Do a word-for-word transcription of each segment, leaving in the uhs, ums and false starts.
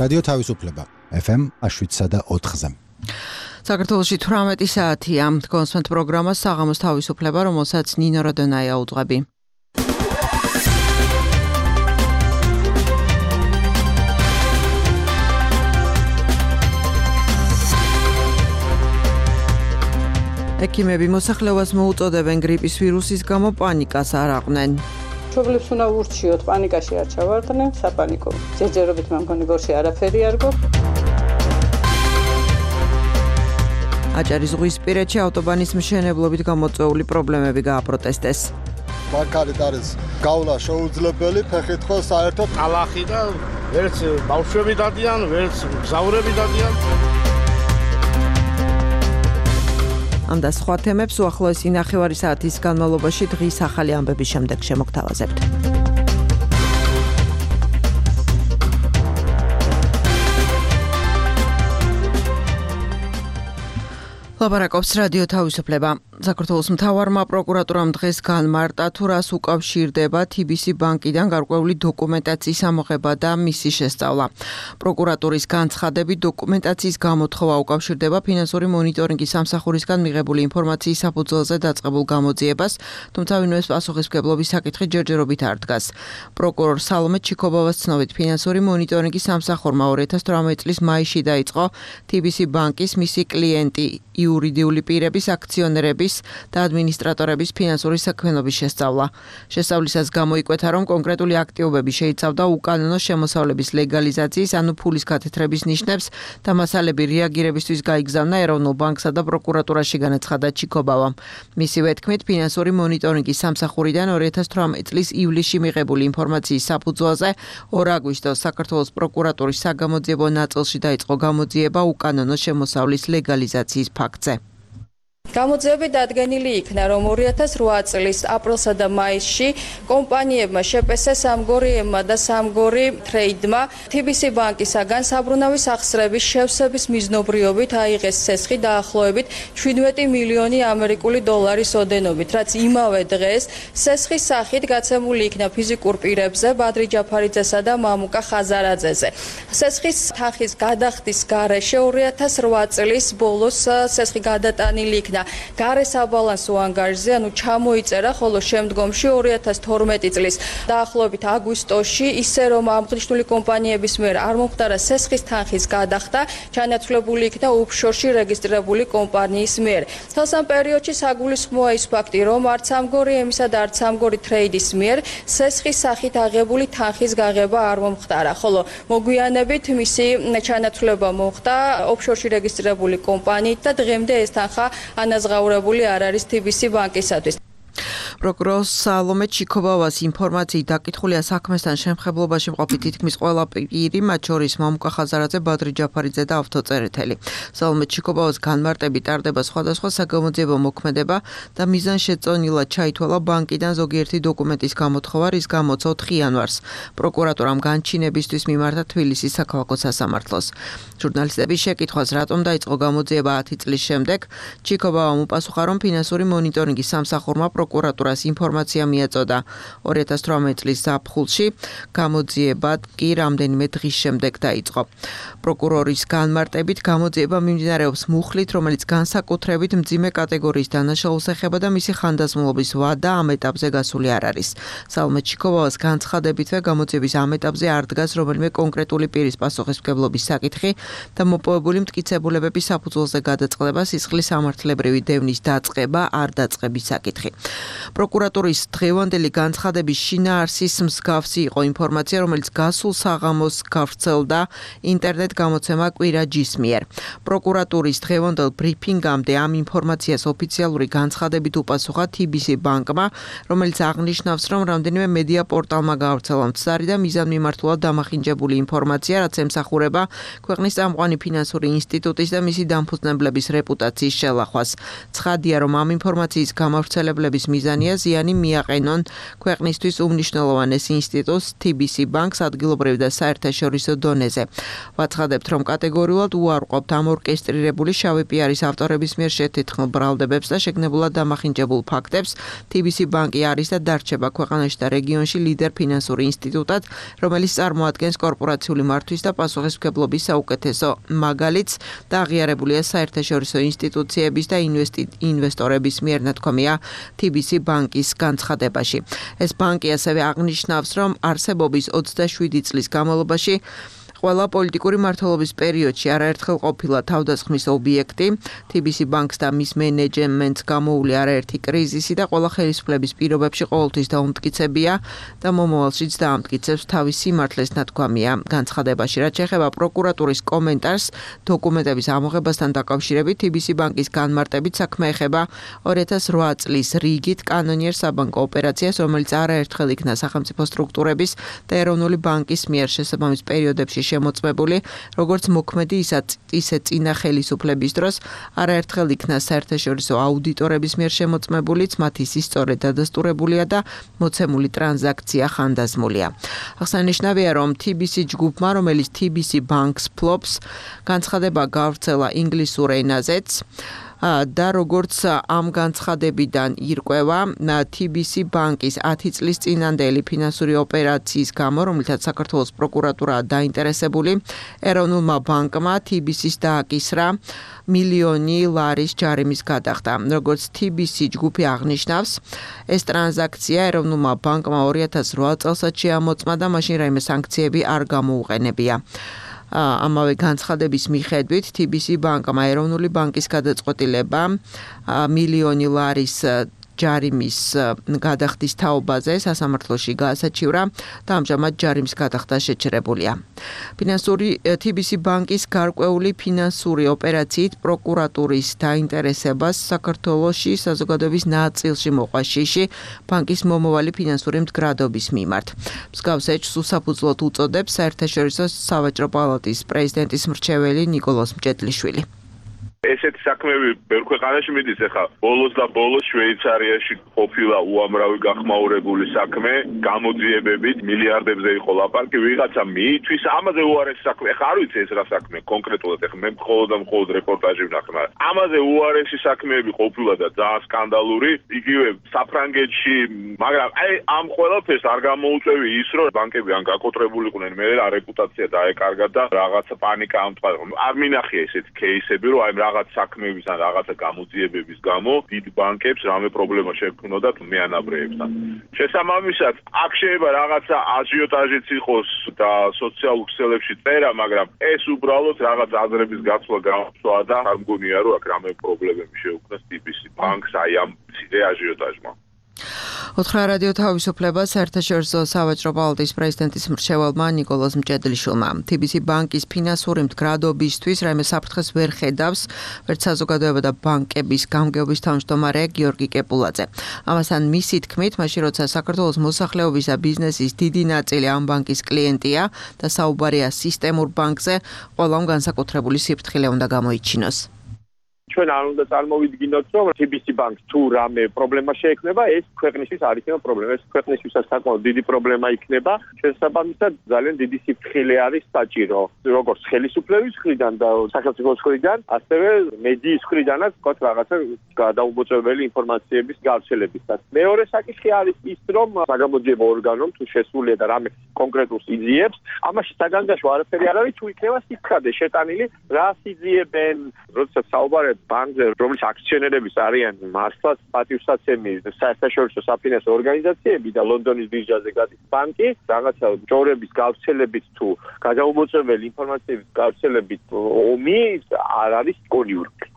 რადიო თავისუფლება ეფ ემ შვიდსა და ოთხზე. საქართველოში თვრამეტი საათია. კონსვენთ პროგრამა საღამოს თავისუფლება, რომელსაც ნინო როდონაია უძღვები. ექიმები მოსახლეობას მოუწოდებენ გრიპის ვირუსის გამო პანიკას არ აყვნენ. მშობლებს უნდა ურჩიოთ, პანიკაში არ ჩავარდნენ, საპანიკო. ჯერჯერობით მე მგონი გორში არაფერი არ გვაქვს. აჭარისძღვისპირეთში ავტობანის მშენებლობით გამოწვეული პრობლემები გააპროტესტეს. მაგალითად არის გავლა შეუძლებელი, ფეხით ხო საერთოდ ტალახი და ვერც ბავშვები დადიან, ვერც მგზავრები დადიან. ამ და სხვა თემებს უახლოესი ნახევარი საათის განმავლობაში დღის ახალი ამბების შემდეგ შემოგთავაზებთ. ლაპარაკობს რადიო თავისუფლება. საქართველოს მთავარმა პროკურატურამ დღეს განმარტა, თუ რას უკავშირდება თი ბი სი ბანკიდან გარკვეული დოკუმენტაციის ამოღება და მისი შესწავლა. პროკურატურის განცხადებით, დოკუმენტაციის გამოთხოვა უკავშირდება ფინანსური მონიტორინგის სამსახურისგან მიღებული ინფორმაციის საფუძველზე დაწყებულ გამოძიებას, თუმცა ვინმეს პასუხისმგებლობის საკითხი ჯერჯერობით არ დგას. პროკურორ სალომე ჩიქობავას ცნობით, ფინანსური მონიტორინგის სამსახურმა ორი ათას თვრამეტი წლის მაისში დაიწყო თი ბი სი ბანკის მისი კლიენტი იურიდიული პირების, აქციონერების და ადმინისტრატორების ფინანსური საქმიანობის შესწავლა. შესწავლისას გამოიკვეთა, რომ კონკრეტული აქტივობები შეიცავდა უკანონო შემოსავლების ლეგალიზაციის, ანუ ფულის გათეთრების ნიშნებს და მასალები რეაგირებისთვის გაიგზავნა ეროვნულ ბანკსა და პროკურატურაში, განაცხადა ჩიქობავამ. მისივე თქმით, ფინანსური მონიტორინგის სამსახურიდან ორი ათას თვრამეტი წლის ივლისში მიღებული ინფორმაციის საფუძველზე ორ აგვისტოს საქართველოს პროკურატურის საგამოძიებო ნაწილში დაიწყო გამოძიება უკანონო შემოსავლის ლეგალიზაციის ფაქტზე. გამოძიები დადგენილი იქნა, რომ ორი ათას რვა წლის აპრილსა და მაისში კომპანიებმა შეპესე სამგორიებმა და სამგორი ტრეიდმა თი ბი სი ბანკისაგან საბრუნავის ახსრების შევსების მიზნობრიობით აიღეს ცესხი დაახლოებით შვიდმეტი მილიონი ამერიკული დოლარის ოდენობით, რაც იმავე დღეს ცესხის სახით გაცემული იქნა ფიზიკურ პირებზე ბადრი ჯაფარიძესა და მამუკა ხაზარაძეზე. ცესხის თანხის გადახდის გარეშე ორი ათას რვა წლის ბოლოს ცესხი გადატანილი იქნა გარე საბალანსო ანგარიშზე, ანუ ჩამოიწერა, ხოლო შემდგომში ორი ათას თორმეტი წლის დაახლოებით აგვისტოში ისე რომ აღნიშნული კომპანიების მიერ არ მომხდარა ცესხის თანხის გადახდა, ჩანაცვლებული იქნა ოფშორში რეგისტრირებული კომპანიის მიერ. თელს ამ პერიოდში საგულისხმოა ის ფაქტი, რომ არც სამგორი ემისა და არც სამგორი ტრეიდის მიერ ცესხის სახით აღებული თანხის გაღება არ მომხდარა, ხოლო მოგვიანებით მისი ჩანაცვლება მოხდა ოფშორში რეგისტრირებული კომპანიით და დღემდე ეს თანხა ანაზღაურებული არ არის თი ბი სი ბანკისათვის. პროკურორ სალომე ჩიქობავას ინფორმაციით დაკითხულია საქმესთან შემხებლობაში მყოფი თითქმის ყველა პირი, მათ შორის მამუკა ხაზარაძე, ბადრი ჯაფარიძე და ავტოწერეთელი. სალომე ჩიქობავას განმარტებით ტარდება სხვადასხვა საგამოძიებო მოქმედება და მიზანშეწონილად ჩაითვალა ბანკიდან ზოგიერთი დოკუმენტის გამოთხოვა, რის გამოც ოთხი იანვარს პროკურატურამ განჩინებისთვის მიმართა თბილისის საქალაქო სასამართლოს. ჟურნალისტების შეკითხვას, რატომ დაიწყო გამოძიება ათი წლის შემდეგ, ჩიქობავამ უპასუხა, რომ ფინანსური მონიტორინგის სამსახურმა პროკურატურას ინფორმაცია მიაწოდა ორი ათას თვრამეტი წლის ზაფხულში, გამოძიება კი რამდენიმე დღის შემდეგ დაიწყო. პროკურორის განმარტებით, გამოძიება მიმდინარეობს მუხლით, რომელიც განსაკუთრებით მძიმე კატეგორიის დანაშაულს ეხება და მისი ხანდაზმულობის ვადა ამ ეტაპზე გასული არ არის. სალომე ჩიქობავას განცხადებითვე, გამოძიების ამ ეტაპზე არ დგას რომელიმე კონკრეტული პირის პასუხისმგებლობის საკითხი და მოპოვებული მტკიცებულებების საფუძველზე გადაწყდება სისხლის სამართლებრივი დევნის დაწყება, არ დაწყების საკითხი. პროკურატურის დღევანდელი განცხადების შინაარსის მსგავსი იყო ინფორმაცია, რომელიც გასულ საღამოს გავრცელდა ინტერნეტ გამოცემა კვირა ჯის მიერ. პროკურატურის დღევანდელ ბრიფინგამდე ამ ინფორმაციას ოფიციალური განცხადებით უპასუხა თი ბი სი ბანკმა, რომელიც აღნიშნავს, რომ რამდენიმე მედია პორტალმა გავრცელა მცდარი და მიზანმიმართულად დამახინჯებული ინფორმაცია, რაც ემსახურება ქვეყნის წამყვანი ფინანსური ინსტიტუტის და მისი დამფუძნებლების რეპუტაციის შელახვას. ცხადია, რომ ამ ინფორმაციის გამავრცელებლების მიზანია ნათქვამია ზიანი მიაყენონ ქვეყნისთვის უმნიშვნელოვანეს ინსტიტუტს T B C ბანკს ადგილობრივ და საერთაშორისო დონეზე. ვაცხადებთ, რომ კატეგორიულად უარყოფთ ამ ორკესტრირებული შავი პიარის ავტორების მიერ შეთითხმულ ბრალდებებს და შეგნებულად დამახინჯებულ ფაქტებს. T B C ბანკი არის და დარჩება ქვეყანაში და რეგიონში ლიდერ ფინანსური ინსტიტუტად, რომელიც წარმოადგენს კორპორაციული მართვის და პასუხისმგებლობის საუკეთესო მაგალითს და აღიარებულია საერთაშორისო ინსტიტუციების და ინვესტორების მიერ ნათქვამია T B C ბანკის განცხადებაში. ეს ბანკი ასევე აღნიშნავს, რომ არსებობის ოცდაშვიდი წლის განმავლობაში ყველა პოლიტიკური მმართველობის პერიოდში არაერთხელ ყოფილა თავდასხმის ობიექტი. T B C ბანკს და მის მენეჯმენტს გამოული არაერთი კრიზისი და ყველა ხელისუფლების პირობებში ყოველთვის დაუმტკიცებია და მომავალშიც დაამტკიცებს თავის სიმართლეს ნათქვამია განცხადებაში. რაც შეეხება პროკურატურის კომენტარს დოკუმენტების ამოღებასთან დაკავშირებით, T B C ბანკის განმარტებით საქმე ეხება ორი ათას რვა წლის რიგით კანონიერ საბანკო ოპერაციას, რომელიც არაერთხელ იქნა სახელმწიფო სტრუქტურების და ეროვნული ბანკის მიერ შესაბამის პერიოდებში შემოწმებული, როგორც მოქმედი ისე წინა ხელისუფლების დროს არაერთხელ იქნა საერთაშორისო აუდიტორების მიერ შემოწმებულიც, მათი სისწორე დადასტურებულია და მოცემული ტრანზაქცია ხანდაზმულია. აღსანიშნავია, რომ T B C ჯგუფმა, რომელიც T B C ბანკს ფლობს, განცხადება გავრცელა ინგლისურ ენაზეც. და როგორც ამ განცხადებიდან ირკვევა, T B C ბანკის ათი წლის წინანდელი ფინანსური ოპერაციის გამო, რომელთაც საქართველოს პროკურატურაა დაინტერესებული, ეროვნულმა ბანკმა T B C-ს დააკისრა მილიონი ლარის ჯარიმის გადახდა. როგორც T B C ჯგუფი აღნიშნავს, ეს ტრანზაქცია ეროვნულმა ბანკმა ორი ათას რვა წელსაც შეამოწმა და მაშინ რაიმე სანქციები არ გამოუყენებია. ამავე განცხადების მიხედვით T B C ბანკმა ეროვნული ბანკის გადაწყვეტილება მილიონი ლარის ჯარიმის გადახდის თაობაზე სასამართლოში გაასაჩივრა და ამჟამად ჯარიმის გადახდა შეჩერებულია. ფინანსური T B C ბანკის გარკვეული ფინანსური ოპერაციით პროკურატურის დაინტერესებას საქართველოში საზოგადოების ნაწილში მოყვა შიში ბანკის მომავალი ფინანსური მდგრადობის მიმართ. მსგავს ეჭვს უსაფუძვლოდ უწოდებს საერთაშორისო სავაჭრო პალატის პრეზიდენტის მრჩეველი ნიკოლოზ მჭედლიშვილი. ესეთი საქმეები ბევრ ქვეყანაში მიდის, ეხლა ბოლოს და ბოლოს შვეიცარიაში ყოფილა უამრავი გახმაურებული საქმე, გამოძიებებით მილიარდებზე იყო ლაპარაკი, ვიღაცა მიიწვის, ამაზე უარესი საქმე. ეხლა არ ვიცი ეს რა საქმე კონკრეტულად, ეხლა მე მხოლოდ და მხოლოდ რეპორტაჟი ვნახე. ამაზე უარესი საქმეები ყოფილა და ძალიან სკანდალური, იგივე საფრანგეთში, მაგრამ აი ამ ყველაფერს არ გამოუწევი ის, რომ ბანკები ან გაკოტრებულიყვნენ, მე რა რეპუტაცია დაეკარგა და რაღაცა პანიკა ამტყვა. არ მინახია ესეთი кейსები, რომ აი რაღაც საქმეების ან რაღაცა გამოძიებების გამო დიდ ბანკებს რამე პრობლემა შეექმნოდათ მეანაბრეებთან. შესაბამისად, აქ შეიძლება რაღაცა აჟიოტაჟიც იყოს და სოციალურ ქსელებში წერა, მაგრამ ეს უბრალოდ რაღაც აზრების გაცვლა გამოსვლა და არ მგონია, რომ აქ რამე პრობლემები შეუქმნას T B C ბანკს აი ამ მცირე აჟიოტაჟმა. ოთხრა რადიო თავისუფლება საერთაშორისო სავაჭრო პალატის პრეზიდენტის მრჩეველმა ნიკოლოზ მჭედლიშვილმა. T B C ბანკის ფინანსური მდგრადობისთვის რაიმე საფრთხეს ვერ ხედავს, ვერც საზოგადოება და ბანკების გამგეობის თავმჯდომარე გიორგი კეპულაძე. ამასთან მისი თქმით, მაშინ როცა საქართველოს მოსახლეობის და ბიზნესის დიდი ნაწილი ამ ბანკის კლიენტია და საუბარია სისტემურ ბანკზე, ყველამ განსაკუთრებული სიფრთხილე უნდა გამოიჩინოს. ჩვენ არ უნდა წარმოვიდგინოთ, რომ T B C ბანკს თუ რამე პრობლემა შეექმნება, ეს ქვეყნისთვის არ იქნება პრობლემა, ეს ქვეყნისთვისაც საკმაოდ დიდი პრობლემა იქნება. შესაბამისად, ძალიან დიდი სიფრთხილე არის საჭირო, როგორც ხელისუფლების მხრიდან და სახელმწიფოს მხრიდან, ასევე მედიის მხრიდანაც თქვათ რაღაცა გადაუმოწმებელი ინფორმაციების გავრცელებისას. მეორე საკითხი არის ის, რომ საგამოძიებო ორგანომ თუ შესულია და რამე კონკრეტულს იძიებს, ამაში საგანგაშო არაფერი არ არის, თუ იქნება სიცხადე შეტანილი, რა იძიებენ, როდესაც საუბარია ბანკზე, რომლის აქციონერების არიან მართლაც პატივსაცემი საერთაშორისო საფინანსო ორგანიზაციები და ლონდონის ბირჟაზე გადის ბანკი, რაღაცა ჯორების გავრცელებით თუ გადაუმოწმებელი ინფორმაციების გავრცელებით ომი არ არის კონიურკი.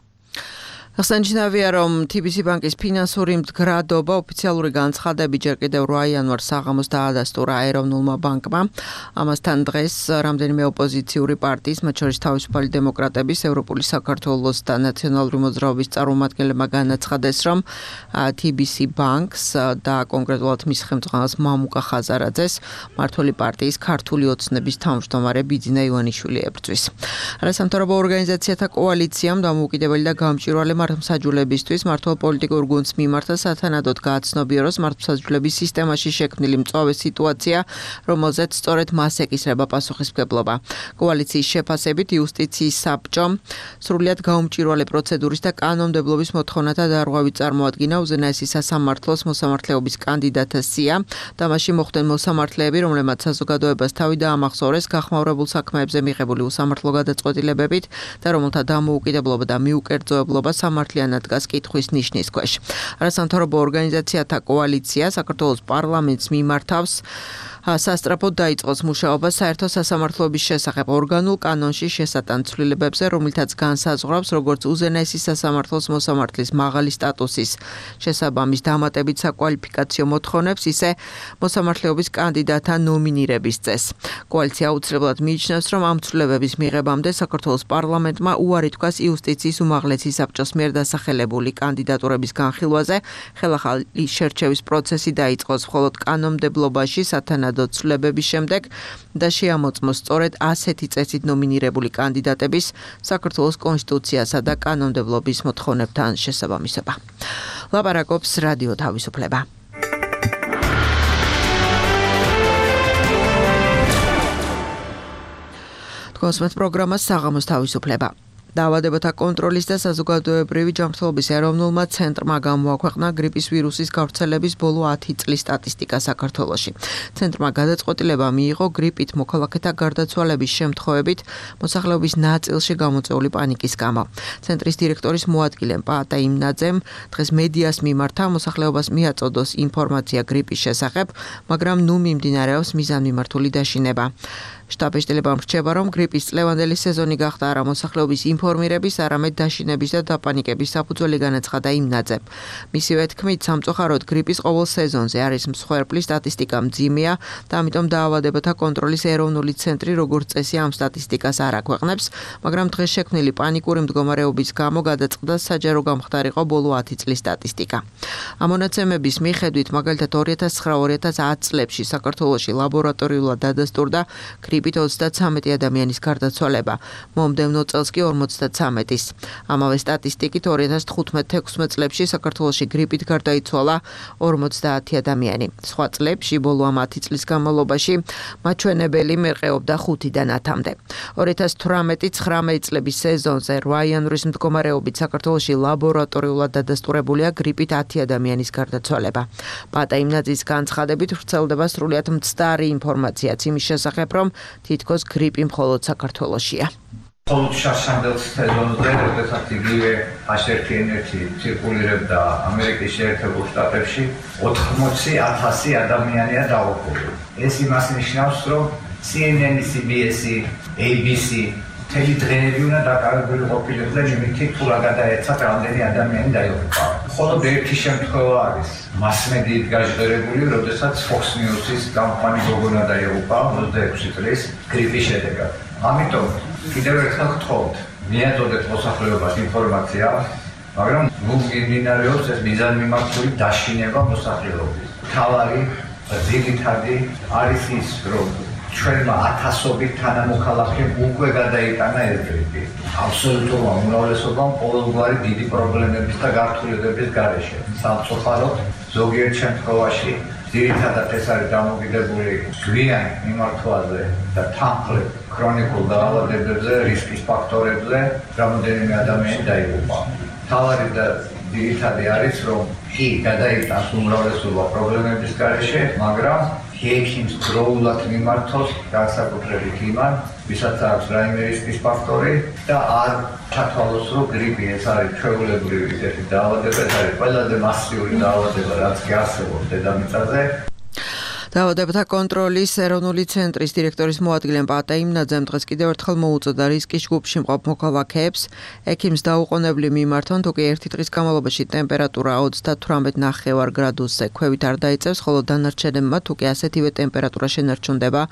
აღსანიშნავია, რომ T B C ბანკის ფინანსური მდგრადობა ოფიციალური განცხადებით ჯერ კიდევ რვა იანვარს საღამოს დაადასტურა ეროვნულმა ბანკმა. ამასთან დღეს რამდენიმე ოპოზიციური პარტიის, მათ შორის თავისუფალი დემოკრატების, ევროპული საქართველოს და ნაციონალური მოძრაობის წარმომადგენლებმა განაცხადეს, რომ T B C ბანკს და კონკრეტულად მის ხელმძღვანელს მამუკა ხაზარაძეს მმართველი პარტიის ქართული ოცნების თავმჯდომარე ბიძინა ივანიშვილი ებრძვის. არასამთავრობო ორგანიზაციათა კოალიციამ დამოუკიდებელი და გამჭვირვალე მართლმსაჯულებისთვის მართლ პოლიტიკურ გუნდს მიმართა სათანადოდ გააცნობიეროს მართლმსაჯულების სისტემაში შექმნილი მწვავე სიტუაცია, რომელზეც სწორედ მას ეკისრება პასუხისმგებლობა. კოალიციის შეფასებით იუსტიციის საბჭომ სრულიად გაუმჭვირვალე პროცედურის და კანონმდებლობის მოთხოვნათა დარღვევი წარმოადგინა უზენაესი სასამართლოს მოსამართლეობის კანდიდატას სია და მასში მოხვდნენ მოსამართლეები, რომლებმაც საზოგადოებას თავი დაამახსოვრეს გახმაურებულ საქმეებზე მიღებული უსამართლო გადაწყვეტილებებით და რომელთა დამოუკიდებლობა და მიუკერძოებლობა სამართლიანად დგას კითხვის ნიშნის ქვეშ. არასამთავრობო ორგანიზაციათა კოალიცია საქართველოს პარლამენტს მიმართავს სასტრაფოდ დაიწყოს მუშაობა საერთო სასამართლოების შესახებ ორგანულ კანონში შესატან ცვლილებებზე, რომლითაც განსაზღვრავს როგორც უზენაესი სასამართლოს მოსამართლის მაღალი სტატუსის შესაბამის დამატებით საკვალიფიკაციო მოთხოვნებს, ისე მოსამართლეობის კანდიდატთა ნომინირების წესს. კოალიცია აუცილებლად მიიჩნევს, რომ ამ ცვლილებების მიღებამდე საქართველოს პარლამენტმა უარი თქვას იუსტიციის უმაღლესი საბჭოს მიერ დასახელებული კანდიდატურების განხილვაზე, ხელახალი შერჩევის პროცესი დაიწყოს, მხოლოდ კანონმდებლობაში სათანადო ცვლილებების შემდეგ და შეამოწმოს სწორედ ასეთი წესით ნომინირებული კანდიდატების საქართველოს კონსტიტუციასა და კანონმდებლობის მოთხოვნებთან შესაბამისობა. ლაპარაკობს რადიო თავისუფლება. თქვენს პროგრამას საღამოს თავისუფლება. დაავადებათა კონტროლის და საზოგადოებრივი ჯანმრთელობის ეროვნულმა ცენტრმა გამოაქვეყნა გრიპის ვირუსის გავრცელების ბოლო ათი წლის სტატისტიკა საქართველოში. ცენტრმა გადაწყვეტილება მიიღო გრიპით მოქალაქეთა გარდაცვალების შემთხვევებით მოსახლეობის ნაწილში გამოწვეული პანიკის გამო. ცენტრის დირექტორის მოადგილე პაატა იმნაძემ დღეს მედიას მიმართა მოსახლეობას მიაწოდოს ინფორმაცია გრიპის შესახებ, მაგრამ ნუ მიმდინარეობს მიზანმიმართული დაშინება. შტაბ-ეშტილებამ რჩება, რომ გრიპის წლევანდელი სეზონი გახდა არა მოსახლეობის ინფორმირების, არამედ დაშინების და დაპანიკების საფუძველი, განაცხადა იმნაძემ. მისივე თქმით, სამწუხაროდ გრიპის ყოველ სეზონზე არის მსხვერპლი, სტატისტიკა მძიმეა და ამიტომ დაავადებათა კონტროლის ეროვნული ცენტრი როგორც წესი ამ სტატისტიკას არ აქვეყნებს, მაგრამ დღეს შექმნილი პანიკური მდგომარეობის გამო გადაწყდა საჯარო გამხდარიყო ბოლო ათი წლის სტატისტიკა. ამ მონაცემების მიხედვით, მაგალითად ორი ათას ცხრა ორი ათას ათი წლებში საქართველოში ლაბორატორიულად დადასტურდა გრიპით ოცდათრამეტი ადამიანის გარდაცვალება, მომდევნო წელს კი ორმოცდათრამეტის. ამავე სტატისტიკით ორი ათას თხუთმეტ თექვსმეტ წლებში საქართველოში გრიპით გარდაიცვალა ორმოცდაათი ადამიანი. სხვა წლებში ბოლო ამ ათი წლის განმავლობაში მაჩვენებელი მერყეობდა ხუთიდან ათამდე. ორი ათას თვრამეტი ცხრამეტი წლების სეზონზე რვა იანვრის მდგომარეობით საქართველოში ლაბორატორიულად დადასტურებულია გრიპით ათი ადამიანის გარდაცვალება. პაატა იმნაძის განცხადებით ვრცელდება სრულიად მცდარი ინფორმაციაც იმის შესახებ, რომ თითქოს გრიპი მხოლოდ საქართველოშია. მხოლოდ შარშანდელ სეზონზე, როდესაც იგივე აშ ერთი ენ ერთი ცირკულირებდა ამერიკის შეერთებულ შტატებში, ოთხმოცი ათასი ადამიანია დაუყოვნე. ეს იმას ნიშნავს, რომ სი ენ ენ, სი ბი ეს, ეი ბი სი მთელი დღეები უნდა დაკავებული ყოფილიყვნენ იმით, თუ რა გადაეცათ რამდენი ადამიანი დაიღუპა. მხოლოდ ერთი შემთხვევა არის მასმედიით გაჟღერებული, როდესაც Fox News-ის გამყანი გოგონა დაიღუპა ოცდაექვსი წლის გრიპის შედეგად. ამიტომ კიდევ ერთხელ გთხოვთ, მიაწოდეთ მოსახლეობას ინფორმაცია, მაგრამ ნუ მიმდინარეობს ეს მიზანმიმართული დაშინება მოსახლეობის. მთავარი ძირითადი არის ის, რომ ჩვენმა ათასობით თანამოქალაქემ უკვე გადაიტანა ეს გრიპი. აბსოლუტურმა უმრავლესობამ ყოველგვარი დიდი პრობლემების და გართულებების გარეშე. სამწუხაროდ, ზოგიერთ შემთხვევაში ძირითადად ეს არის დამოკიდებული გვიან მიმართვაზე და თანხლებ ქრონიკულ დაავადებებზე, რისკის ფაქტორებზე, რამდენიმე ადამიანი დაიღუპა. მთავარი და ძირითადი არის, რომ კი გადაიტანს უმრავლესობა პრობლემების გარეშე, მაგრამ ექიმს დროულად მიმართოს განსაკუთრებით იმან, ვისაც აქვს რაიმე რისკის ფაქტორი და არ ჩათვალოს, რომ გრიპი ეს არის ჩვეულებრივი ერთი დაავადება, ეს არის ყველაზე მასიური დაავადება, რაც კი არსებობს დედამიწაზე. დაავადებათა კონტროლის ეროვნული ცენტრის დირექტორის მოადგილე პაატა იმნაძემ დღეს კიდევ ერთხელ მოუწოდა რისკის ჯგუფში მყოფ მოქალაქეებს ექიმს დაუყოვნებლივ მიმართონ, თუ კი ერთი დღის განმავლობაში ტემპერატურა ოცდათვრამეტ ნახევარ გრადუსზე ქვევით არ დაიწევს, ხოლო დანარჩენებმა თუ კი ასეთივე ტემპერატურა შენარჩუნდება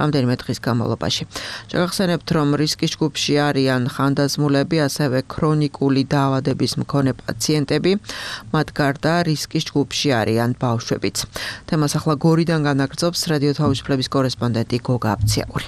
რამდენიმე დღის განმავლობაში. შეგახსენებთ, რომ რისკის ჯგუფში არიან ხანდაზმულები, ასევე ქრონიკული დაავადების მქონე პაციენტები, მათ გარდა რისკის ჯგუფში არიან ბავშვებიც. თემას ახლა გორიდან განაგრძობს რადიო თავისუფლების კორესპონდენტი გოგა აბციაური.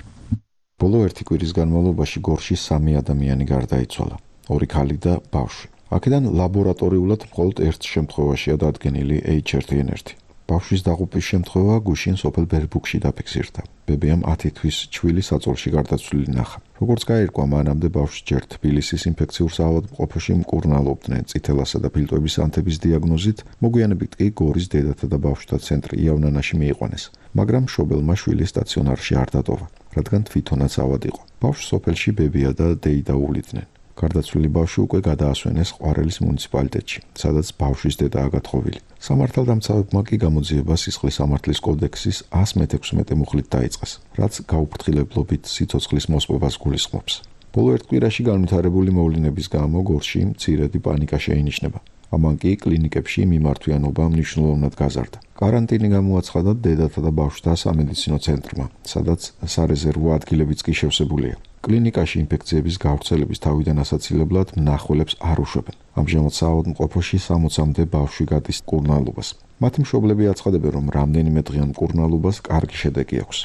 ბოლო ერთი კვირის განმავლობაში გორში სამი ადამიანი გარდაიცვალა, ორი ქალი და ბავშვი. აქედან ლაბორატორიულად მხოლოდ ერთ შემთხვევაშია დადგენილი ეიჩ ერთი ენ ერთი. ბავშვის დაღუპვის შემთხვევა გუშინ სოფელ ბერბუქში დაფიქსირდა. ბებიამ ათი თვის ჩვილი საწოლში გარდაცვლილი ნახა. როგორც გაირკვა, მანამდე ბავშვს ჯერ თბილისის ინფექციურ საავადმყოფოში მკურნალობდნენ წითელასა და ფილტვების ანთების დიაგნოზით, მოგვიანებით კი გორის დედათა და ბავშვთა ცენტრი იავნანაში მიიყვანეს, მაგრამ მშობელმა შვილი სტაციონარში არ დატოვა, რადგან თვითონაც ავად იყო. ბავშვს სოფელში ბებია და დეიდა უვლიდნენ. გარდაცვლილი ბავშვი უკვე გადაასვენეს ყვარელის მუნიციპალიტეტში, სადაც ბავშვის დედაა გათხოვილი. სამართალდამცავებმა კი გამოძიება სისხლის სამართლის კოდექსის εκατს მეთექვსმეტე მუხლით დაიწყეს, რაც გაუფრთხილებლობით სიცოცხლის მოსპობას გულისხმობს. ბოლო ერთ კვირაში განვითარებული მოვლენების გამო გორში მცირედი პანიკა შეინიშნება. ამან კი კლინიკებში მიმართვიანობა მნიშვნელოვნად გაზარდა. კარანტინი გამოაცხადა დედათა და ბავშვთა სამედიცინო ცენტრმა, სადაც სარეზერვო ადგილებიც კი შევსებულია. კლინიკაში ინფექციების გავრცელების თავიდან ასაცილებლად მნახველებს არ უშვებენ. ამჟამად საავადმყოფოში სამოცამდე ბავშვი გადის მკურნალობას. მათი მშობლები აცხადებენ, რომ რამდენიმე დღიან მკურნალობას კარგი შედეგი აქვს.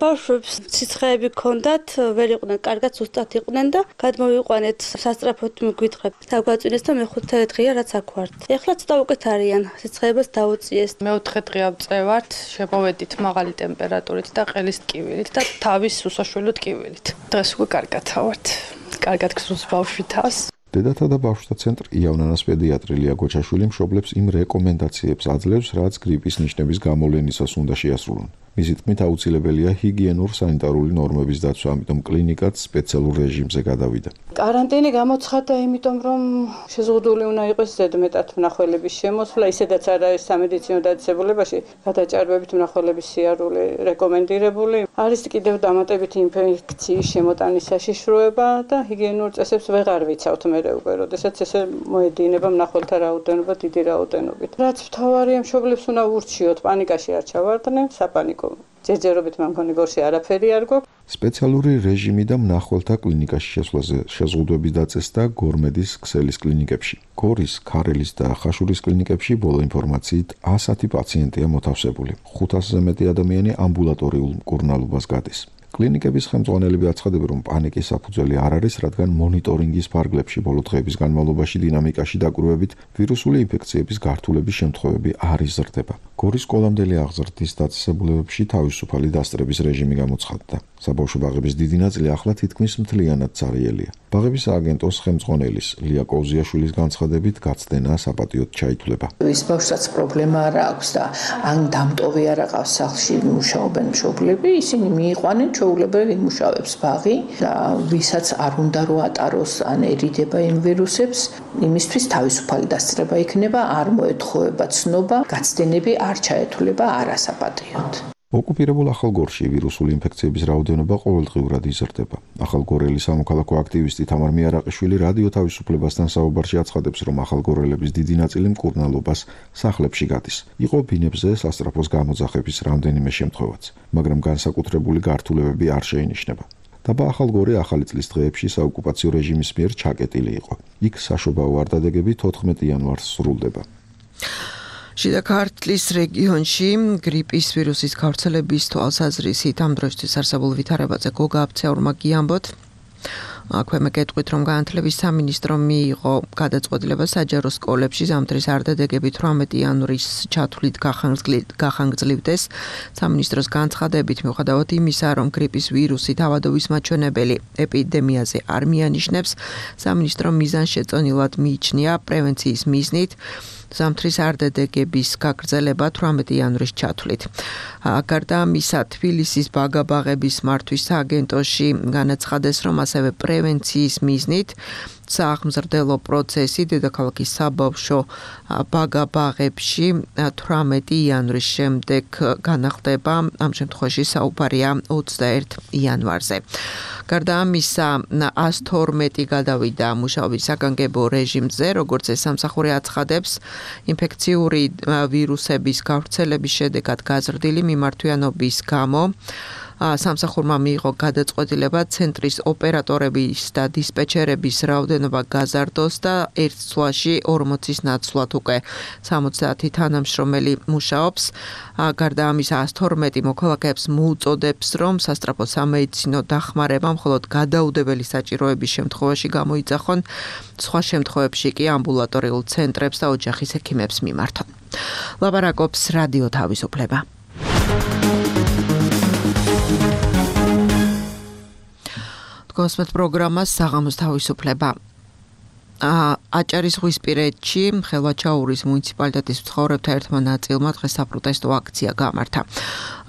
ბავშვებს სიცხეები ჰქონდათ, ვერ იყვნენ, კარგად ზუსტად იყვნენ და გადმოვიყვანეთ სასწრაფოდ მიგვიტყებ. დაგვაწვინეს და მეხუთე დღეა რაც აქ ვართ. ეხლა ცოტა უკეთ არიან, სიცხეებას დაუწიეს. მეოთხე დღე ავწევართ, შემოვედით მაღალი ტემპერატურით და ყელის ტკივილით და თავის უსაშველო ტკივილით. დღეს უკვე კარგად ავართ. კარგად გსურს ბავშვი თავს. დედათა და ბავშვთა ცენტრ იავნანას პედიატრი ლია გოჩაშვილი მშობლებს იმ რეკომენდაციებს აძლევს, რაც გრიპის ნიშნების გამოვლენისას უნდა შეასრულონ. მისი თქმით, აუცილებელია ჰიგიენურ-სანიტარული ნორმების დაცვა, ამიტომ კლინიკაც სპეციალურ რეჟიმზე გადავიდა. კარანტინი გამოცხადდა, იმიტომ რომ შეზღუდული უნდა იყოს ზედმეტად მნახველების შემოსვლა, ისედაც არ არის სამედიცინო დაწესებულებაში გადაჭარბებით მნახველების სიარული რეკომენდირებული. არის კიდევ დამატებითი ინფექციის შემოტანის საშიშროება და ჰიგიენურ წესებს ვეღარ ვიცავთ მერე უკვე, როდესაც ესე მოედინება მნახველთა რაოდენობა დიდი რაოდენობით. რაც მთავარია, მშობლებს უნდა ურჩიოთ, პანიკაში არ ჩავარდნენ, საპანიკო ჯერჯერობით მე მგონი გორში არაფერი არ გვაქვს. სპეციალური რეჟიმი და მნახველთა კლინიკაში შესვლაზე შეზღუდვების დაწესდა გორმედის ქსელის კლინიკებში. გორის, ქარელის და ხაშურის კლინიკებში ბოლო ინფორმაციით ასი პაციენტია მოთავსებული. ხუთასზე მეტი ადამიანი ამბულატორიულ მკურნალობას გადის. კლინიკების ხელმძღვანელები აცხადებენ, რომ პანიკის საფუძველი არ არის, რადგან მონიტორინგის ფარგლებში ბოლო დღეების განმავლობაში დინამიკაში დაკვირვებით ვირუსული ინფექციების გართულების შემთხვევები არ იზრდება. გორის სკოლამდელი აღზრდის დაწესებულებებში თავისუფალი დასწრების რეჟიმი გამოცხადდა. საბავშვო ბაღების დიდი ნაწილი ახლა თითქმის მთლიანად ცარიელია. ბაღების სააგენტოს ხელმძღვანელის ლია კოუზიაშვილის განცხადებით, გაცდენა საპატიოდ ჩაითვლება. ის ბავშვსაც პრობლემა არ აქვს და ან დამტოვი არ აყავს სახლში, მუშაობენ მშობლები, ისინი მიიყვანენ ჩვეულებრივ იმუშავებს ბაღი და ვისაც არ უნდა რო ატაროს ან ერიდება იმ ვირუსებს, იმისთვის თავისუფალი დასწრება იქნება, არ მოეთხოვება ცნობა, გაცდენები არ ჩაეთვლება არასაპატიოდ. ოკუპირებულ ახალგორში ვირუსული ინფექციების რაოდენობა ყოველდღიურად იზრდება. ახალგორელი სამოქალაქო აქტივისტი თამარ მიარაყიშვილი რადიო თავისუფლებასთან საუბარში აცხადებს, რომ ახალგორელების დიდი ნაწილი მკურნალობას სახლებში გადის. იყო ბინებზე სასწრაფოს გამოძახების რამდენიმე შემთხვევაც, მაგრამ განსაკუთრებული გართულებები არ შეინიშნება. დაბა ახალგორი ახალი წლის დღეებში საოკუპაციო რეჟიმის მიერ ჩაკეტილი იყო. იქ საშობაო ვარდადეგები თოთხმეტი იანვარს სრულდება. შიდა ქართლის რეგიონში გრიპის ვირუსის გავრცელების თვალსაზრისით ამ დროისთვის არსებულ ვითარებაზე გოგა აფცეურმა გიამბოთ. აქვე მეკეთყვით, რომ განათლების სამინისტრო მიიღო გადაწყვეტილება საჯარო სკოლებში ზამთრის არდადეგები თვრამეტი იანვრის ჩათვლით გახანგრძლივდეს. სამინისტროს განცხადებით, მიუხედავად იმისა, რომ გრიპის ვირუსი თავადობის მაჩვენებელი ეპიდემიაზე არ მიანიშნებს, სამინისტრო მიზანშეწონილად მიიჩნია პრევენციის მიზნით ზამთრის არდადეგების გაგრძელება თვრამეტი იანვრის ჩათვლით. გარდა ამისა, თბილისის ბაგა-ბაღების მართვის სააგენტოში განაცხადეს, რომ ასევე პრევენციის მიზნით სააღმზრდელო პროცესი დედაქალაქის საბავშვო ბაგა-ბაღებში თვრამეტი იანვრის შემდეგ განახლდება, ამ შემთხვევაში საუბარია ოცდაერთი იანვარზე. გარდა ამისა, ას თორმეტი გადავიდა მუშაობის საგანგებო რეჟიმზე, როგორც ეს სამსახური აცხადებს, ინფექციური ვირუსების გავრცელების შედეგად გაზრდილი მიმართვიანობის გამო სამსახურმა მიიღო გადაწყვეტილება ცენტრის ოპერატორების და დისპეჩერების რაოდენობა გაზარდოს და ერთ წლში ორმოცის ნაცვლად უკვე სამოცდაათი თანამშრომელი მუშაობს. გარდა ამისა ას თორმეტი მოქალაქეებს მოუწოდებს, რომ სასწრაფო სამედიცინო დახმარება მხოლოდ გადაუდებელი საჭიროების შემთხვევაში გამოიძახონ, სხვა შემთხვევებში კი ამბულატორიულ ცენტრებს და ოჯახის ექიმებს მიმართონ. ლაპარაკობს რადიო თავისუფლება. გოსმეთ პროგრამას საღამოს თავისუფლება. აჭარისღვისპირეთში ხელვაჩაურის მუნიციპალიტეტის მცხოვრებთა ერთმა ნაწილმა დღეს საპროტესტო აქცია გამართა.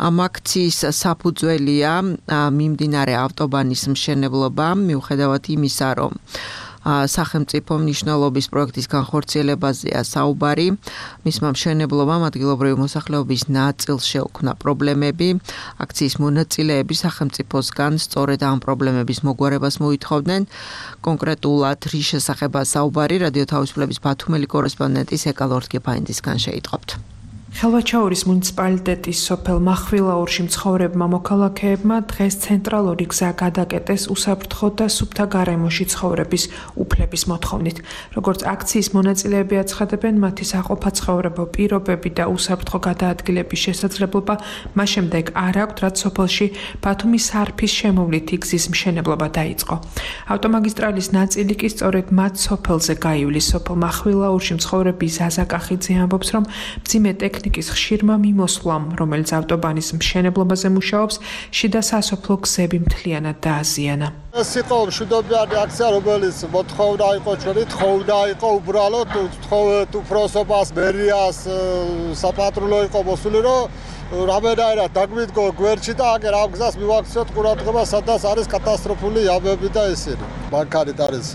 ამ აქციის საფუძველია მიმდინარე ავტობანის მშენებლობა, მიუხედავად იმისა, რომ სახელმწიფო მნიშვნელობის პროექტის განხორციელებაზეა საუბარი. მისმა მშენებლობამ ადგილობრივი მოსახლეობის ნაწილს შეუქმნა პრობლემები. აქციის მონაწილეები სახელმწიფოსგან სწორედ ამ პრობლემების მოგვარებას მოითხოვდნენ. კონკრეტულად რის შესახებაა საუბარი, რადიო თავისუფლების ბათუმელი კორესპონდენტის ეკალორდ გეფაინდისგან შეიტყობთ. ხელვაჩაურის მუნიციპალიტეტის სოფელ მახვილაურში მცხოვრებმა მოქალაქეებმა დღეს ცენტრალური გზა გადაკეტეს უსაფრთხო და სუფთა გარემოში ცხოვრების უფლების მოთხოვნით. როგორც აქციის მონაწილეები აცხადებენ, მათი საყოფაცხოვრებო პირობები და უსაფრთხო გადაადგილების შესაძლებლობა მას შემდეგ არ აქვთ, რაც სოფელში ბათუმის სარფის შემოვლითი გზის მშენებლობა დაიწყო. ავტომაგისტრალის ნაწილი კი სწორედ მათ სოფელზე გაივლის. სოფელ მახვილაურში მცხოვრები ზაზა კახიძე ამბობს, რომ მძიმე ტექნიკის ხშირმა მიმოსვლამ, რომელიც ავტობანის მშენებლობაზე მუშაობს, შიდა სასოფლო გზები მთლიანად დააზიანა. ეს იყო მშვიდობიანი აქცია, რომელიც მოთხოვნა იყო ჩვენი თხოვნა იყო უბრალოდ თხოვეთ უფროსობას, მერიას, საპატრულო იყო მოსული, რომ რამენაირად დაგვიდგო გვერდში და აგერ ამ გზას მივაქციოთ ყურადღება, სადაც არის კატასტროფული იამები და ისინი. მანქანით არის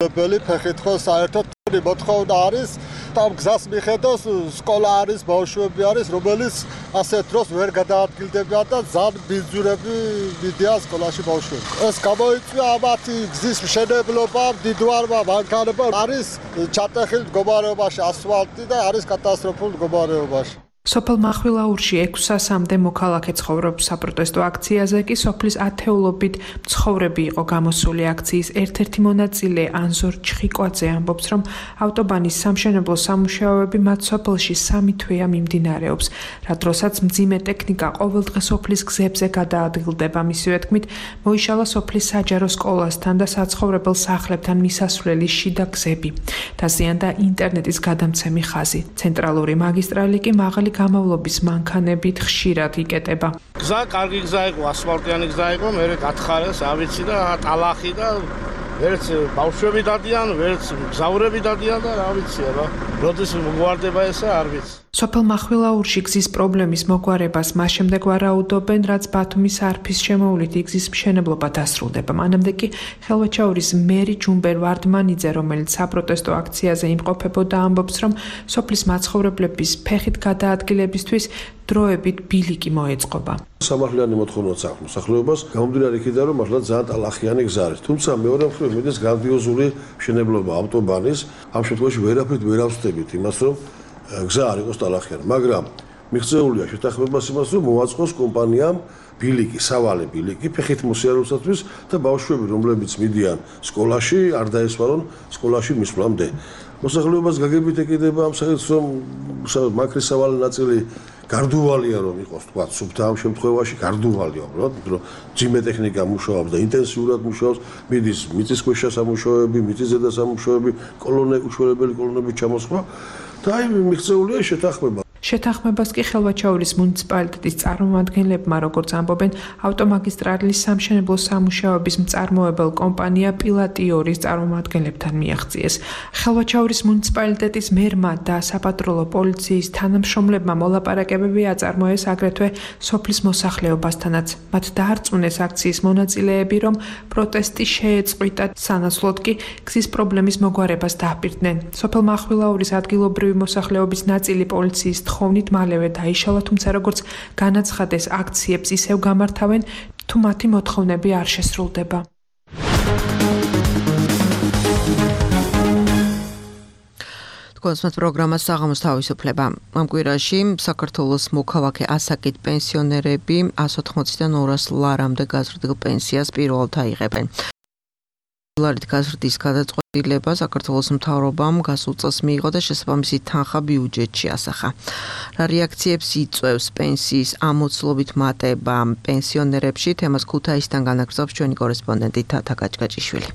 ფეხით ხო საერთოდ მოთხოვნა არის და ამ გზას მიხედოს სკოლა არის, ბავშვები არის, რომელიც ასეთ დროს ვერ გადაადგილდებიან და ზამ ბიძურები მიდიან სკოლაში ბავშვები. ეს გამოიწვია ამათი გზის მშენებლობა, დიდვარმა მანქანებმა არის ჩატეხილი მდგომარეობაში ასფალტი და არის კატასტროფულ მდგომარეობაში. სოფელ მახვილაურში ექვს სასამდე მოქალაქე ცხოვრობს საპროტესტო აქციაზე, კი სოფლის ათეულობით მცხოვრები იყო გამოსული. აქციის ერთ-ერთი მონაწილე ანზორ ჩხიკვაძე ამბობს, რომ ავტობანის სამშენებლო სამუშაოები მათ სოფელში სამი თვეა მიმდინარეობს, რა დროსაც მძიმე ტექნიკა ყოველდღე სოფლის გზებზე გადაადგილდება. მისივე თქმით, მოიშალა სოფლის საჯარო სკოლასთან და საცხოვრებელ სახლებთან მისასვლელი შიდა გზები. დაზიანდა ინტერნეტის გადამცემი ხაზი. ცენტრალური მაგისტრალი კი მაღალი გამავლობის მანქანებით ხშირად იკეტება. გზა კარგი გზა იყო, ასფალტიანი გზა იყო, მე გათხარეს, ავიცი და ტალახი და ვერც ბავშვები დადიან, ვერც მგზავრები დადიან და რა ვიცი აბა. როდის მოგვარდება ესა, არ ვიცი. სოფელ მახვილაურში გზის პრობლემის მოგვარებას მას შემდეგ ვარაუდობენ, რაც ბათუმის არფის შემოვლითი გზის მშენებლობა დასრულდება. მანამდე კი ხელვაჩაურის მერი ჯუმბერ ვარდმანიძე, რომელიც საპროტესტო აქციაზე იმყოფებოდა, ამბობს, რომ სოფლის მაცხოვრებლების ფეხით გადაადგილებისთვის დროებით ბილიკი მოეწყობა. სამართლიანი მოთხოვნაც აქვს მოსახლეობას, გამომდინარე იქიდან, რომ მართლა ძალიან ტალახიანი გზა არის. თუმცა მეორე მხრივ მიდის გრანდიოზული მშენებლობა ავტობანის, ამ შემთხვევაში ვერაფრით ვერ ავსდებით იმას, რომ გზა არ იყოს ტალახიანი, მაგრამ მიღწეულია შეთანხმებას იმას, რომ მოაწყოს კომპანიამ ბილიკი, სავალი ბილიკი ფეხით მოსიარულისათვის და ბავშვები, რომლებიც მიდიან სკოლაში, არ დაესვარონ სკოლაში მისვლამდე. მოსახლეობას გაგებით ეკიდება ამ საერთოდ რომ მაქრის სავალი ნაწილი გარდუვალია რომ იყოს, თქვა, სუფთა ამ შემთხვევაში გარდუვალია, უბრალოდ, რომ ძიმე ტექნიკა მუშაობს და ინტენსიურად მუშაობს, მიდის მიწისქვეშა სამუშაოები, მიწისზედა სამუშაოები, კოლონე უშველებელი კოლონების ჩამოსხმა და აი მიღწეულია შეთანხმება. შეთანხმებას კი ხელვაჩაურის მუნიციპალიტეტის წარმომადგენლებმა, როგორც ამბობენ, ავტომაგისტრალის სამშენებლო სამუშაოების მწარმოებელ კომპანია პილატიორის წარმომადგენლებთან მიაღწიეს. ხელვაჩაურის მუნიციპალიტეტის მერმა და საპატრულო პოლიციის თანამშრომლებმა მოლაპარაკებები აწარმოეს აგრეთვე სოფლის მოსახლეობასთანაც. მათ დაარწმუნეს აქციის მონაწილეები, რომ პროტესტი შეეწყვიტა, სანაცვლოდ კი გზის პრობლემის მოგვარებას დააპირდნენ. სოფელ მახვილაურის ადგილობრივი მოსახლეობის ნაწილი პოლიციის თხოვნით მალევე დაიშალა, თუმცა როგორც განაცხადეს, აქციებს ისევ გამართავენ, თუ მათი მოთხოვნები არ შესრულდება. თქვენს პროგრამას საღამოს თავისუფლება. ამ კვირაში საქართველოს მოქალაქე ასაკით პენსიონერები εκατს ოთხმოციდან ორას ლარამდე გაზრდილ პენსიას პირველად აიღებენ. ლარით გაზრდის გადაწყვეტილება საქართველოს მთავრობამ გასულ წელს მიიღო და შესაბამისი თანხა ბიუჯეტში ასახა. რა რეაქციებს იწვევს პენსიის ამოცლობით მატება პენსიონერებში? თემას ქუთაისიდან განაგრძობს ჩვენი კორესპონდენტი თათა გაჭგაჭიშვილი.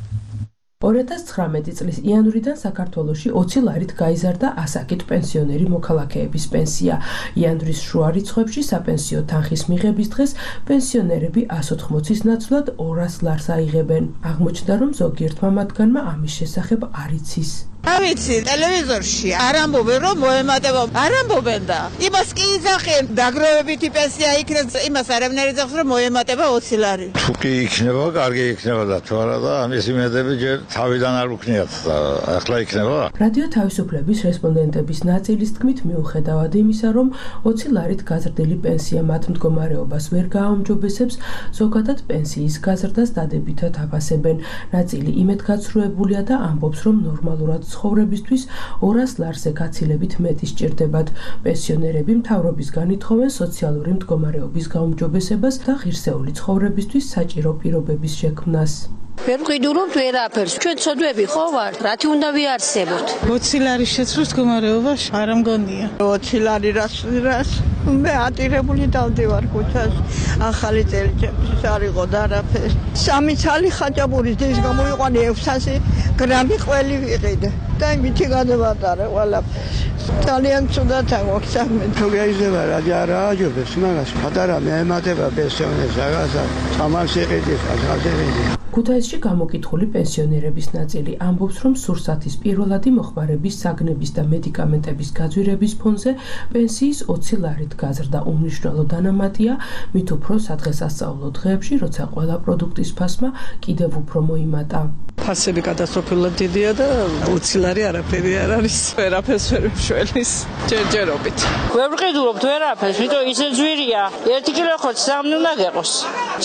ორი ათას ცხრამეტი წლის იანვრიდან საქართველოში ოცი ლარით გაიზარდა ასაკით პენსიონერი მოქალაქეების პენსია. იანვრის შუა რიცხვებში საპენსიო თანხის მიღების დღეს პენსიონერები εκατს ოთხმოცის ნაცვლად ორას ლარს აიღებენ. აღმოჩნდა, რომ ზოგიერთმა მათგანმა ამის შესახებ არ იცის. ავიცი ტელევიზორში არ ამბობენ რომ მოემატება არ ამბობენ და იმას კი იძახენ დაგროვებითი პენსია იქნებს იმას არაფერი იძახს რომ მოემატება ოცი ლარი თუ კი იქნება კარგი იქნება და თუ არა და ამის იმედები ჯერ თავიდან არ უქნიათ და ახლა იქნება რადიო თავისუფლების რესპონდენტების ნაწილის თქმით მიუხედავად იმისა რომ ოცი ლარით გაზრდილი პენსია მათ მდგომარეობას ვერ გააუმჯობესებს ზოგადად პენსიის გაზრდას დადებითად აფასებენ ნაწილი იმედგაცრუებულია და ამბობს რომ ნორმალურად ცხოვრებისთვის ორას ლარზე გაცილებით მეტი სჭირდებათ. პენსიონერები მთავრობისგან ითხოვენ სოციალური მდგომარეობის გაუმჯობესებას და ღირსეული ცხოვრებისთვის საჭირო პირობების შექმნას. ვერ ვყიდულობთ ვერაფერს. ჩვენ ცოდვები ხო ვართ? რათი უნდა ვიარსებოთ? ოცი ლარი შეცვლის მდგომარეობაში არ ამგონია. ოცი ლარი რას რას მე ატირებული დავდივარ ქუთას. ახალი წელიწადის არ იყო და არაფერი. სამი ცალი ხაჭაპურის დის გამოიყვანე ექვსასი გრამი ყველი ვიყიდე. და იმითი გადავატარე ყველაფერს. ძალიან ცუდად აქვს საქმე. თუ გაიზრდება რა არა აჯობებს მაგას. პატარა მეემატება პენსიონერს რაღაცა წამალს იყიდის, ახალს იყიდის. ქუთაისში გამოკითხული პენსიონერების ნაწილი ამბობს, რომ სურსათის პირველადი მოხმარების საგნების და მედიკამენტების გაძვირების ფონზე პენსიის ოცი ლარით გაზრდა უმნიშვნელო დანამატია, მით უფრო სადღესასწაულო დღეებში, როცა ყველა პროდუქტის ფასმა კიდევ უფრო მოიმატა. ფასები კატასტროფულად დიდია და ოცი ლარი არაფერი არ არის. ვერაფერს ვერ მშველის ჯერჯერობით. ვერ ვყიდულობთ ვერაფერს, ვიტო ისე ძვირია. ერთი კილო ხო სამი უნდა გეყოს.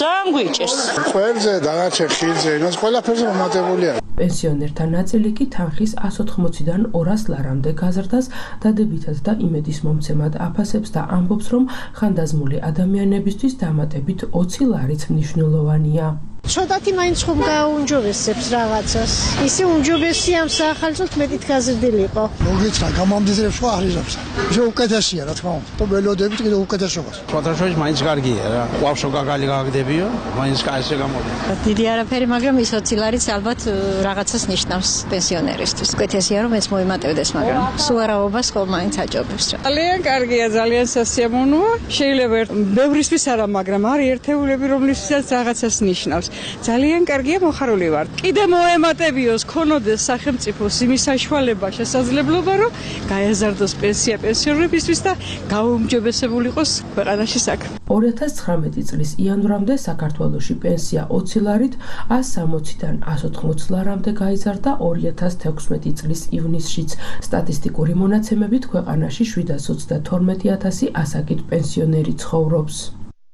ძალიან გვიჭერს. ყველზე დაგაჩე ხილზე, იმას ყველაფერზე მომატებულია. პენსიონერთა ნაწილი კი თანხის εκατს ოთხმოციდან ორას ლარამდე გაზრდას დადებითად და იმედის მომცემად აფასებს და ამბობს, რომ ხანდაზმული ადამიანებისთვის დამატებით ოცი ლარიც მნიშვნელოვანია. ცოტათი მაინც ხომ გააუმჯობესებს რაღაცას. ისე უმჯობესია ამ საახალწლოდ მეტით გაზრდილიყო. მოგეცხრა გამამდიდრებს ხო აღიზობს. ისე უკეთესია რა თქმა უნდა. ველოდებით კიდე უკეთესობას. ფოთაშოვის მაინც კარგია რა. ყავშო გაგალი გაგდებიო, მაინც კაისე გამოდი. დიდი არაფერი, მაგრამ ის ოცი ლარიც ალბათ რაღაცას ნიშნავს პენსიონერისთვის. უკეთესია რომ ეს მოიმატებდეს, მაგრამ სუარაობას ხომ მაინც აჯობებს რა. ძალიან კარგია, ძალიან სასიამოვნოა. შეიძლება ბევრისთვის არა, მაგრამ არის ერთეულები, რომლისთვისაც რაღაცას ნიშნავს. ძალიან კარგია, მოხარული ვარ. კიდე მოემატებიოს, ქონოდეს სახელმწიფოს იმის საშუალება, შესაძლებლობა, რომ გაეზარდოს პენსია პენსიონერებისთვის და გაუმჯობესებული იყოს ქვეყანაში საქმე. ორი ათას ცხრამეტი წლის იანვრამდე საქართველოში პენსია ოცი ლარით εκατს სამოციდან εκατს ოთხმოც ლარამდე გაიზარდა ორი ათას თექვსმეტი წლის ივნისშიც. სტატისტიკური მონაცემებით ქვეყანაში შვიდას ოცდათორმეტი ათასი ასაკით პენსიონერი ცხოვრობს.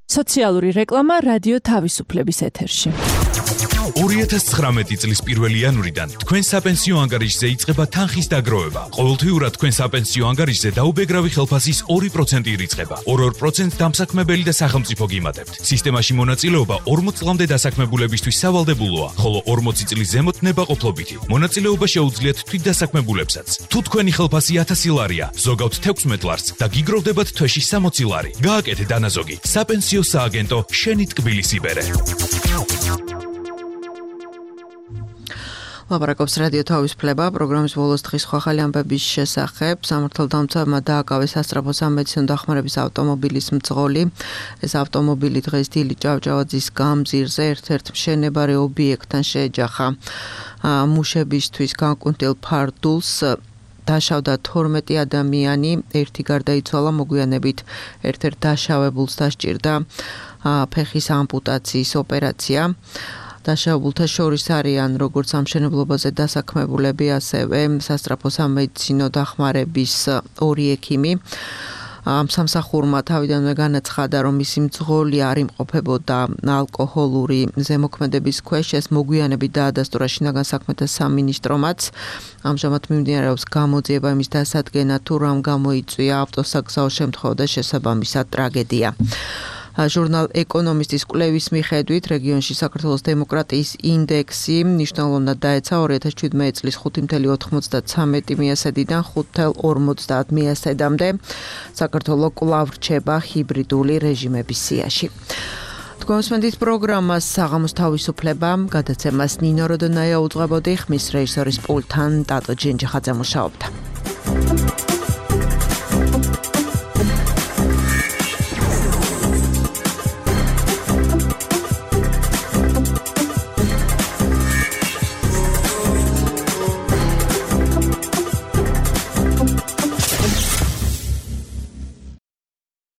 სოციალური რეკლამა რადიო თავისუფლების ეთერში. ორი ათას ცხრამეტი წლის პირველი იანვრიდან თქვენ საპენსიო ანგარიშზე იწყება თანხის დაგროვება. ყოველთვიურად თქვენ საპენსიო ანგარიშზე დაუბეგრავი ხელფასის ორი პროცენტი ირიცხება. ორ-ორ პროცენტს დამსაქმებელი და სახელმწიფო გიმატებთ. სისტემაში მონაწილეობა ორმოც წლამდე დასაქმებულებისთვის სავალდებულოა, ხოლო ორმოცი წლის ზემოთ ნებაყოფლობითი. მონაწილეობა შეუძლიათ თვითდასაქმებულებსაც. თუ თქვენი ხელფასი ათასი ლარია, ზოგავთ თექვსმეტ ლარს და გიგროვდებათ თვეში სამოცი ლარი. გააკეთე დანაზოგი. საპენსიო სააგენტო შენი ტკბილის იბერე. ლაპარაკობს რადიო თავისუფლება პროგრამის ბოლოს დღის ხალხი ამბების შესახებ. სამართალდამცავმა დააკავეს სასწრაფო სამედიცინო დახმარების ავტომობილის მძღოლი. ეს ავტომობილი დღეს დილით ჭავჭავაძის გამზირზე ერთ-ერთ მშენებარე ობიექტთან შეეჯახა. მუშებისთვის განკუთვნილ ფარდულს დაშავდა თორმეტი ადამიანი, ერთი გარდაიცვალა, მოგვიანებით ერთ-ერთ დაშავებულს დასჭირდა ფეხის ამპუტაციის ოპერაცია. დაშავებულთა შორის არიან როგორც სამშენებლობაზე დასაქმებულები, ასევე სასწრაფო სამედიცინო დახმარების ორი ექიმი. ამ სამსახურმა თავიდანვე განაცხადა, რომ მისი მძღოლი არ იმყოფებოდა ალკოჰოლური ზემოქმედების ქვეშ. ეს მოგვიანებით დაადასტურა შინაგან საქმეთა სამინისტრომაც. ამჟამად მიმდინარეობს გამოძიება იმის დასადგენად, თუ რამ გამოიწვია ავტოსაგზაო შემთხვევა და შესაბამისად ტრაგედია. ჟურნალ ეკონომისტის კვლევის მიხედვით რეგიონში საქართველოს დემოკრატიის ინდექსი მნიშვნელოვნად დაეცა ორი ათას შვიდმეტი წლის ხუთი კoma ოცდათვრამეტი მიასედიდან ხუთი კoma ორმოცდაათ მიასედამდე. საქართველო კვლავ რჩება ჰიბრიდული რეჟიმების სიაში. თქვენსმენთ პროგრამას საღამოს თავისუფლება გადაცემას ნინო როდონაია უძღვებოდი, ხმის რეჟისორის პულტთან ტატო ჯენჯიხაძე მუშაობდა.